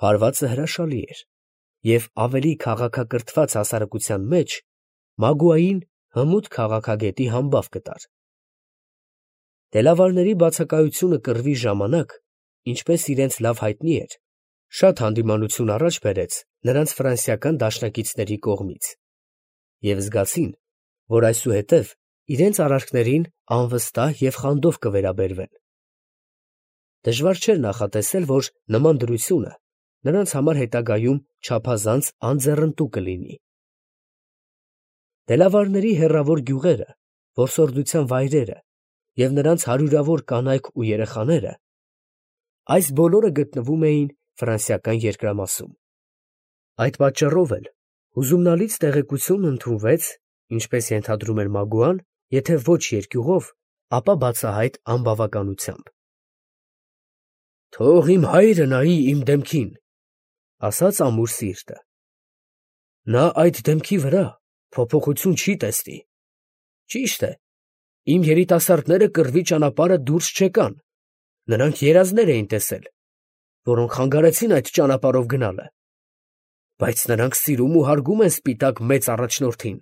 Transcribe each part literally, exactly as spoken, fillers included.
Հարվածը հրաշալի էր, և ավելի քաղաքակրթված հասարակության մեջ Մագուային հմուտ քաղաքագետի համբավ կտար։ Դելավարների բացակայությունը կռվի ժամանակ, ինչպես իրենց լավ հայտնի էր, շատ հանդիմանություն առաջ բերեց նրանց ֆրանսիական դաշնակիցների կողմից, և զգացին, որ այսուհետև իրենց արարքներին անվստահ և խանդով կվերաբերվեն։ Դժվար չէր նախատեսել, որ նման դրությունը նրանց համար հետագայում չափազանց անձեռնտու կլինի։ Դելավարների հեռավոր գյուղերը, որսորդության վայրերը և նրանց հարյուրավոր կանայք ու երեխաները, այս բոլորը գտնվում էին ֆրանսիական երկրամասում։ Այդ պատճառով էլ հուզումնալից տեղեկություն ընդունվեց, ինչպես ենթադրում էր Մագուան, եթե ոչ երկյուղով, ապա բացահայտ անբավականությամբ։ «Թող իմ հայրը նայի իմ դեմքին, ֊ ասաց ամուր սիրտը, ֊ նա այդ դեմքի վրա փոփոխություն չի տեսնի։ Ճիշտ է, իմ երիտասարդները կռվի ճանապարհը դուրս չեկան, նրանք երազներ էին տեսել, որոնք խանգարեցին այդ ճանապարհով գնալը, բայց նրանք սիրում ու հարգում են սպիտակ մեծ առաջնորդին։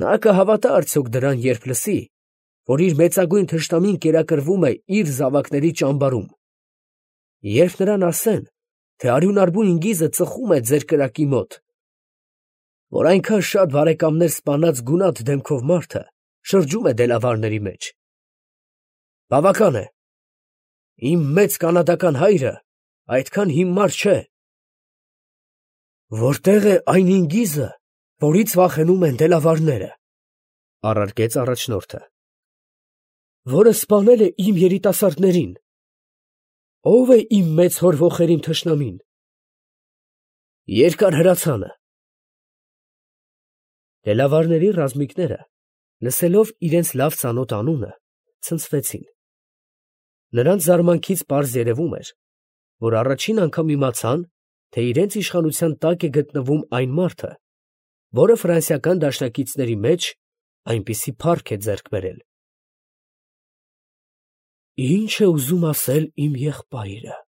Նա կհավատա արդյոք դրան, երբ լսի, որ իր մեծագույն թշնամին կերակրվում է իր զավակների ճամբարում, երբ նրան ասեն, թե արյունարբու ինգիզը ծխում է ձեր կրակի մոտ, որ այնքան շատ բարեկամներ սպանած գունատ դեմքով մարդը շրջում է դելավարների մեջ։ Բավական է, իմ մեծ կանադական հայրը այդքան հիմար չէ։ Որտե՞ղ է այն ինգիզը, որից վախենում են դելավարները, ֊ առարկեց առաջնորդը, ֊ որը սպանել է իմ երիտասարդներին։ Ո՞վ է իմ մեծ հոր ոխերիմ թշնամին։ Երկար հրացանը։ Դելավարների ռազմիկները, լսելով իրենց լավ ծանոթ անունը, ցնցվեցին։ Նրանց զարմանքից պարզ երևում էր, որ առաջին անգամ իմացան, թե իրենց իշխանության տակ է գտնվում այն մարդը, որը ֆրանսիական դաշնակիցների մեջ այնպիսի փառք է ձեռք բերել։ «Ի՞նչ է ուզում ասել իմ եղբայրը, ֊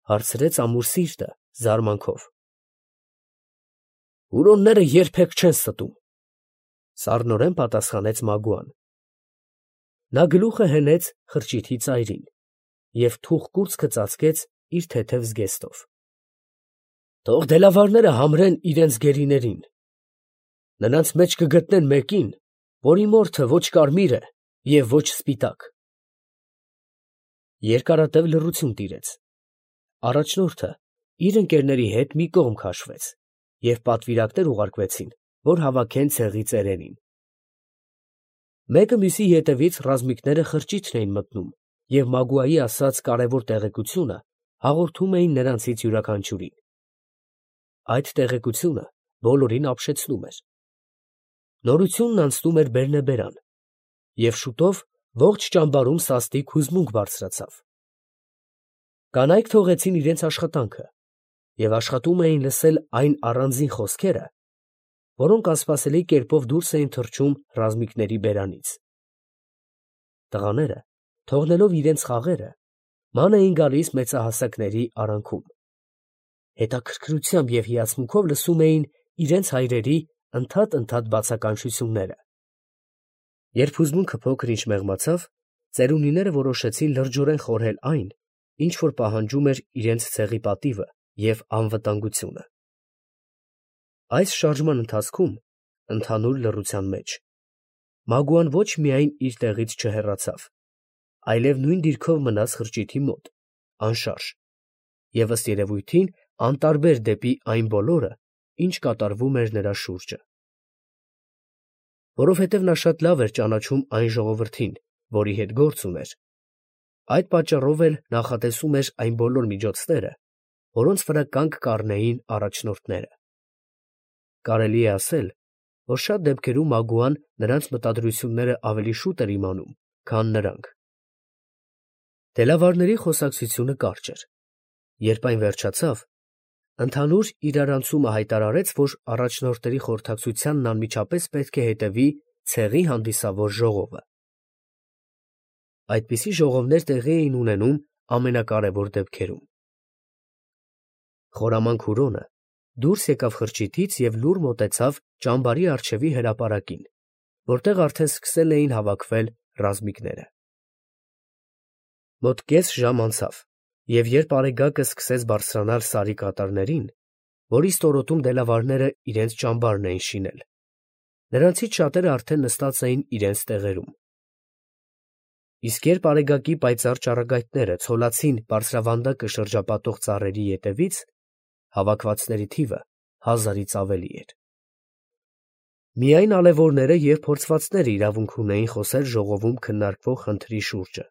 հարցրեց ամուր սիրտը զարմանքով։ Հուրոնները երբեք չեն ստում, ֊ սառնորեն պատասխանեց Մագուան։ Նա գլուխը հենեց խրճիթի ծայրին և թուխ կուրծքը ծածկեց իր թեթև զգեստով։ Թող դելավարները համրեն իրենց գերիներին. նրանց մեջ կգտնեն մեկին, որի մորթը ոչ կարմիր է և ոչ սպիտակ։ Երկարատև լռություն տիրեց։ Առաջնորդը իր ընկերների հետ մի կողմ քաշվեց, և պատվիրակներ ուղարկվեցին, որ հավաքեն ցեղի ծերերին։ Մեկը մյուսի ետևից ռազմիկները խրճիթն էին մտնում և Մագուայի ասած կարևոր տեղեկությունը հաղորդում էին նրանցից յուրաքանչյուրին։ Այդ տեղեկությունը բոլորին ապշեցնում էր։ Նորությունն անցնում էր բերնեբերան, և շուտով ողջ ճամբարում սաստիկ հուզմունք բարձրացավ։ Կանայք թողեցին իրենց աշխատանքը և աշխատում էին լսել այն առանձին խոսքերը, որոնք անսպասելի կերպով դուրս էին թռչում ռազմիկների բերանից։ Տղաները, թողնելով իրենց խաղերը, ման էին գալիս մեծահասակների արանքում։ Հետաքրքրությամբ և հիացմունքով լսում էին իրենց հայրերի ընդհատ֊ընդհատ բացականչությունները։ Երբ հուզմունքը փոքր-ինչ մեղմացավ, ծերունիները որոշեցին լրջորեն խորհել այն, ինչ որ պահանջում էր իրենց ցեղի պատիվը և անվտանգությունը։ Այս շարժման ընթացքում, ընդհանուր լռության մեջ, Մագուան ոչ միայն իր տեղից չհեռացավ, այլև նույն դիրքով մնաց խրճիթի մոտ, անշարժ և ըստ երևույթին անտարբեր դեպի այն բոլորը, ինչ կատարվում էր նրա շուրջը։ Որովհետև նա շատ լավ էր ճանաչում այն ժողովրդին, որի հետ գործ ուներ, այդ պատճառով էլ նախատեսում էր այն բոլոր միջոցները, որոնց վրա կանգ կառնեին առաջնորդները։ Կարելի է ասել, որ շատ դեպքերում Մագուան նրանց մտադրությունները ավելի շուտ էր իմանում, քան նրանք։ Դելավարների խոսակցությունը կարճ էր։ Երբ այն վերջացավ, ընդհանուր իրարանցումը հայտարարեց, որ առաջնորդների խորհրդակցությանն անմիջապես պետք է հետևի ցեղի հանդիսավոր ժողովը։ Այդպիսի ժողովներ տեղի էին ունենում ամենակարևոր դեպքերում։ Խորամանկ Հուրոնը դուրս եկավ խրճիթից և լուռ մոտեցավ ճամբարի առջևի հրապարակին, որտեղ արդեն սկսել էին հավաքվել ռազմիկները։ Մոտ կես ժամ անցավ, և երբ Արեգակը սկսեց բարձրանալ Սարի կատարներին, որի ստորոտում դելավարները իրենց ճամբարն էին շինել, նրանցից շատերը արդեն նստած էին իրենց տեղերում։ Իսկ երբ Արեգակի պայծառ ճառագայթները ցոլացին բարձրավանդակը շրջապատող ծառերի ետևից, հավաքվածների թիվը հազարից ավելի էր։ Միայն ալևորները և փորձվածները իրավունք ունեին խոսել ժողովում քննարկվող խնդրի շուրջը։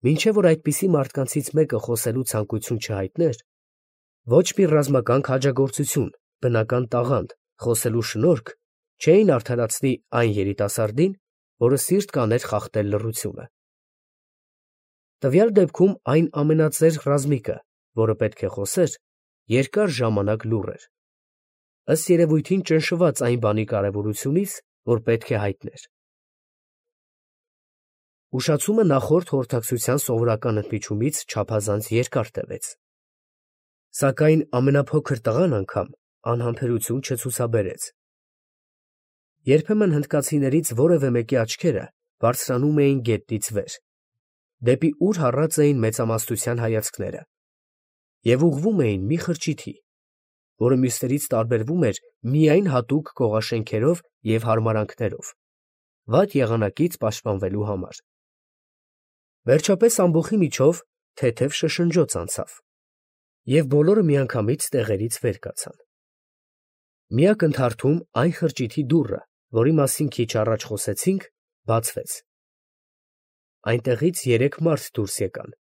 Մինչև որ այդպիսի մարդկանցից մեկը խոսելու ցանկություն չհայտներ, ոչ մի ռազմական քաջագործություն, բնական տաղանդ, խոսելու շնորհք չէին արդարացնի այն երիտասարդին, որը սիրտ կաներ խախտել լռությունը։ Տվյալ դեպքում այն ամենածեր ռազմիկը, որը պետք է խոսեր, երկար ժամանակ լուռ էր, ըստ երևույթին ճնշված այն բանի կարևորությունից, որ պետք է հայտներ։ Ուշացումը նախորդ խորհրդակցության սովորական ընդմիջումից չափազանց երկար տևեց։ Սակայն ամենափոքր տղան անգամ անհամբերություն չցուցաբերեց։ Երբեմն հնդկացիներից որևէ մեկի աչքերը բարձրանում էին գետնից վեր, դեպի ուր հառած էին մեծամասնության հայացքները, և ուղղվում էին մի խրճիթի, որը մյուսներից տարբերվում էր միայն հատուկ կողաշենքերով և հարմարանքներով, վատ եղանակից պաշտպանվելու համար։ Վերջապես ամբոխի միջով թեթև շշնջոց անցավ, և բոլորը միանգամից տեղերից վեր կացան։ Մի ակնթարթում այն խրճիթի դուռը, որի մասին քիչ առաջ խոսեցինք, բացվեց։ Այնտեղից երեք մարդ դուրս եկան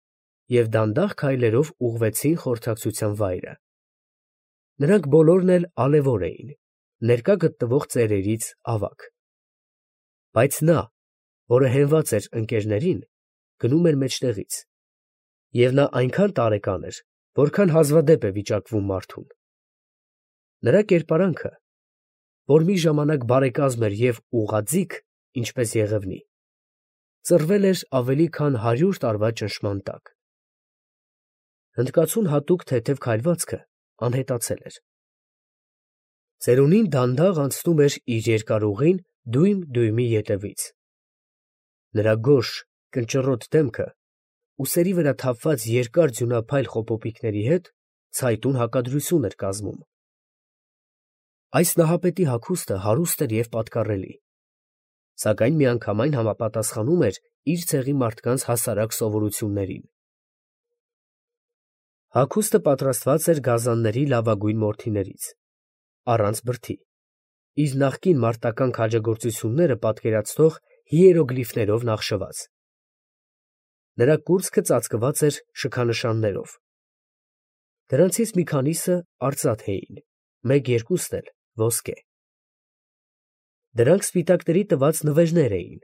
և դանդաղ քայլերով ուղղվեցին խորհրդակցության վայրը։ Նրանք բոլորն էլ ալևոր էին, ներկա գտնվող ծերերից ավագ։ Բայց նա, որը հենված էր ընկերներին, գնում էր մեջտեղից, և նա այնքան տարեկան էր, որքան հազվադեպ է վիճակվում մարդուն։ Նրա կերպարանքը, որ մի ժամանակ բարեկազմ էր և ուղղաձիգ, ինչպես Եղևնի, ծռվել էր ավելի քան հարյուր տարվա ճնշման տակ։ Հնդկացուն հատուկ թեթև քայլվածքը անհետացել էր։ Ծերունին դանդաղ անցնում էր իր երկար ուղին դույմ֊դույմի ետևից։ Նրա գորշ, կնճռոտ դեմքը, ուսերի վրա թափված երկար ձյունափայլ խոպոպիկների հետ ցայտուն հակադրություն էր կազմում։ Այս նահապետի հագուստը հարուստ էր և պատկառելի, սակայն միանգամայն համապատասխանում էր իր ցեղի մարդկանց հասարակ սովորություններին։ Հագուստը պատրաստված էր գազանների լավագույն մորթիներից, առանց բրդի, իր նախկին մարտական քաջագործությունները պատկերացնող հիերոգլիֆներով նախշված։ Նրա կուրծքը ծածկված էր շքանշաններով։ Դրանցից մի քանիսը արծաթ էին, մեկ֊երկուսն էլ ոսկե։ Դրանք սպիտակների տված նվերներ էին,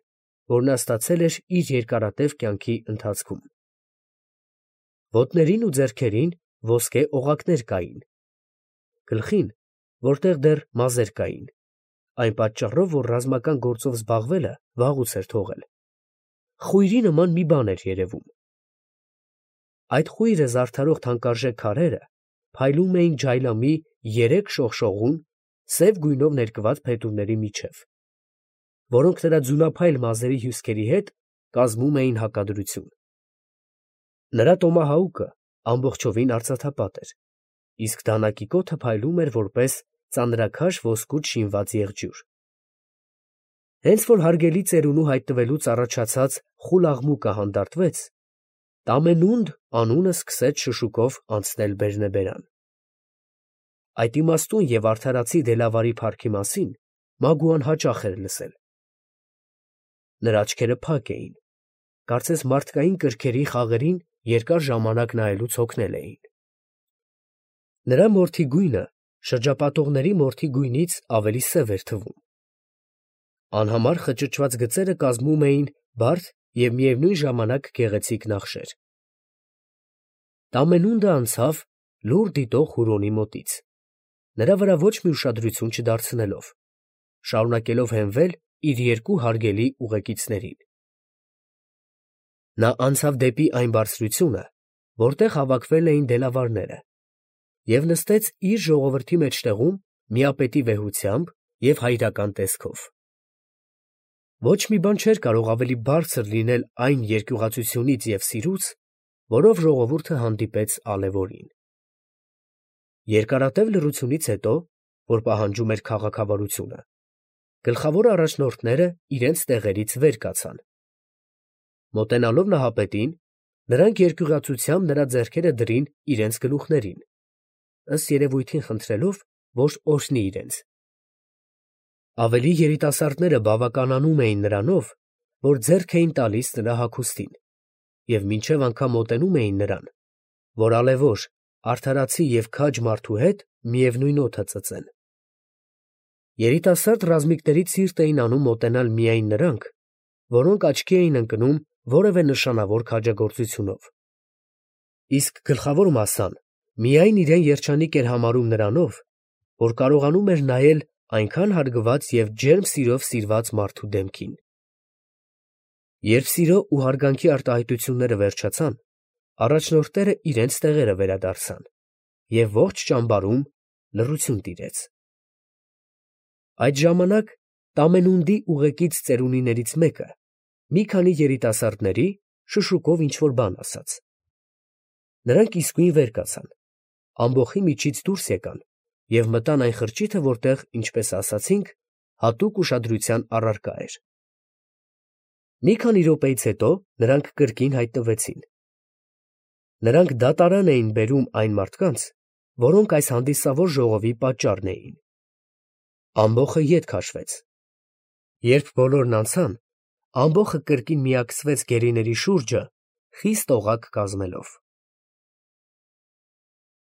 որ նա ստացել էր իր երկարատև կյանքի ընթացքում։ Ոտներին ու ձեռքերին ոսկե օղակներ կային, գլխին, որտեղ դեռ մազեր կային, այն պատճառով, որ ռազմական գործով զբաղվելը վաղուց էր թողել, խույրի նման մի բան էր երևում։ Այդ խույրը զարդարող թանկարժեք քարերը փայլում էին ջայլամի երեք շողշողուն, սև գույնով ներկված փետուրների միջև, որոնք նրա ձյունափայլ մազերի հյուսքերի հետ կազմում էին հակադրություն։ Նրա տոմահաուկը ամբողջովին արծաթապատ էր, իսկ դանակի կոթը փայլում էր որպես ծանրաքաշ ոսկուց շինված եղջյուր։ Հենց որ հարգելի ծերունու հայտնվելուց առաջացած խուլ աղմուկը հանդարտվեց, Տամենունդ անունը սկսեց շշուկով անցնել բերնեբերան։ Այդ իմաստուն և արդարացի դելավարի փառքի մասին Մագուան հաճախ էր լսել։ Նրա աչքերը փակ էին, կարծես մարդկային կրքերի խաղերին երկար ժամանակ նայելուց հոգնել էին։ Նրա մորթի գույնը շրջապատողների մորթի գույնից ավելի սև էր թվում։ Անհամար խճճված գծերը կազմում էին բարդ և միևնույն ժամանակ գեղեցիկ նախշեր։ Տամենունդը անցավ լուռ դիտող Հուրոնի մոտից, նրա վրա ոչ մի ուշադրություն չդարձնելով, շարունակելով հենվել իր երկու հարգելի ուղեկիցներին։ Նա անցավ դեպի այն բարձրությունը, որտեղ հավաքվել էին դելավարները, և նստեց իր ժողովրդի մեջտեղում միապետի վեհությամբ և հայրական տեսքով։ Ոչ մի բան չէր կարող ավելի բարձր լինել այն երկյուղածությունից և սիրուց, որով ժողովուրդը հանդիպեց ալեվորին։ Երկարատև լռությունից հետո, որ պահանջում էր քաղաքավարությունը, գլխավոր առաջնորդները իրենց տեղերից վեր կացան։ Մոտենալով նահապետին, նրանք երկյուղածությամբ նրա ձեռքերը դրին իրենց գլուխներին, ըստ երևույթին խնդրելով, որ օրհնի իրենց։ Ավելի երիտասարդները բավականանում էին նրանով, որ ձեռք էին տալիս նրա հագուստին և մինչև անգամ մոտենում էին նրան, որ ալեվոր, արդարացի և քաջ մարդու հետ միևնույն օդը ծծեն։ Երիտասարդ ռազմիկներից սիրտ էին անում մոտենալ միայն նրանք, որոնք աչքի էին ընկնում որևէ նշանավոր քաջագործությունով, իսկ գլխավոր մասսան միայն իրեն երջանիկ էր համարում նրանով, որ կարողանում էր նայել այնքան հարգված և ջերմ սիրով սիրված մարդու դեմքին։ Երբ սիրո ու հարգանքի արտահայտությունները վերջացան, առաջնորդները իրենց տեղերը վերադարձան, և ողջ ճամբարում լռություն տիրեց։ Այդ ժամանակ Տամենունդի ուղեկից ծերունիներից մեկը մի քանի երիտասարդների շշուկով ինչ֊որ բան ասաց։ Նրանք իսկույն վեր կացան, ամբոխի միջից դուրս եկան և մտան այն խրճիթը, որտեղ, ինչպես ասացինք, հատուկ ուշադրության առարկա էր։ Մի քանի րոպեից հետո նրանք կրկին հայտնվեցին։ Նրանք դատարան էին բերում այն մարդկանց, որոնք այս հանդիսավոր ժողովի պատճառն էին։ Ամբոխը ետ քաշվեց։ Երբ բոլորն անցան, ամբոխը կրկին միակցվեց գերիների շուրջը, խիստ օղակ կազմելով։